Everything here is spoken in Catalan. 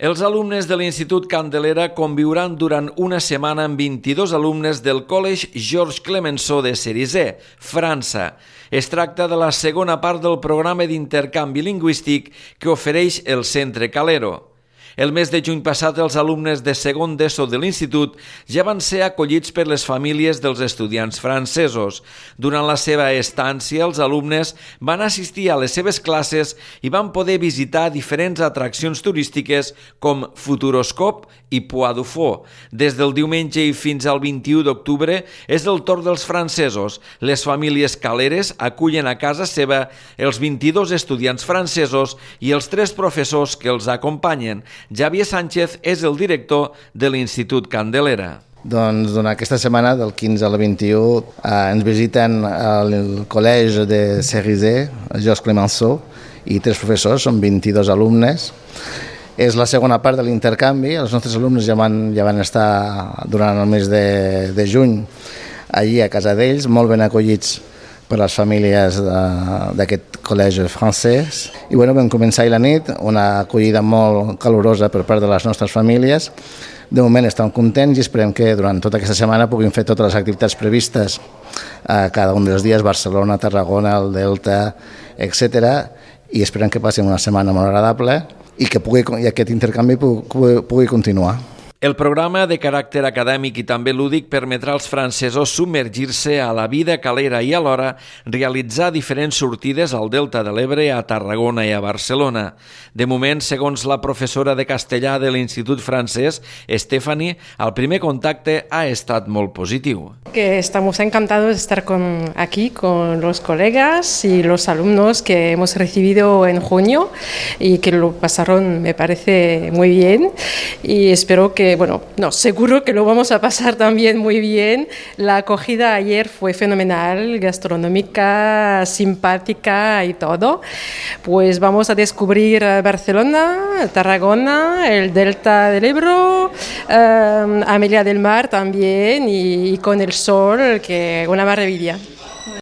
Els alumnes de l'Institut Candelera conviuran durant una setmana amb 22 alumnes del Collège Georges Clemenceau de Cerizay, França. Es tracta de la segona part del programa d'intercanvi lingüístic que ofereix el Centre Calero. El mes de juny passat, els alumnes de segon d'ESO de l'institut ja van ser acollits per les famílies dels estudiants francesos. Durant la seva estància, els alumnes van assistir a les seves classes i van poder visitar diferents atraccions turístiques com Futuroscope i Puy du Fou. Des del diumenge i fins al 21 d'octubre és el torn dels francesos. Les famílies caleres acullen a casa seva els 22 estudiants francesos i els 3 professors que els acompanyen. Javier Sánchez és el director de l'Institut Candelera. Doncs durant aquesta setmana, del 15 al 21, ens visiten el Collège de Cerizay, Georges Clemenceau, i 3 professors, són 22 alumnes. És la segona part de l'intercanvi. Els nostres alumnes ja van estar durant el mes de juny allí a casa d'ells, molt ben acollits per les famílies d'aquest col·legi francès. I vam començar ahir la nit, una acollida molt calorosa per part de les nostres famílies. De moment estem contents i esperem que durant tota aquesta setmana puguin fer totes les activitats previstes a cada un dels dies, Barcelona, Tarragona, el Delta, etc. I esperem que passin una setmana molt agradable i que aquest intercanvi pugui continuar. El programa de caràcter acadèmic i també lúdic permetrà als francesos submergir-se a la vida calera i alhora realitzar diferents sortides al Delta de l'Ebre, a Tarragona i a Barcelona. De moment, segons la professora de castellà de l'Institut francès, Stephanie, el primer contacte ha estat molt positiu. Que estamos encantados de estar aquí con los colegas y los alumnos que hemos recibido en junio y que lo pasaron, me parece, muy bien y espero que seguro que lo vamos a pasar también muy bien. La acogida ayer fue fenomenal, gastronómica, simpática y todo. Pues vamos a descubrir Barcelona, Tarragona, el Delta del Ebro, Amelia del Mar también y con el sol, que una maravilla.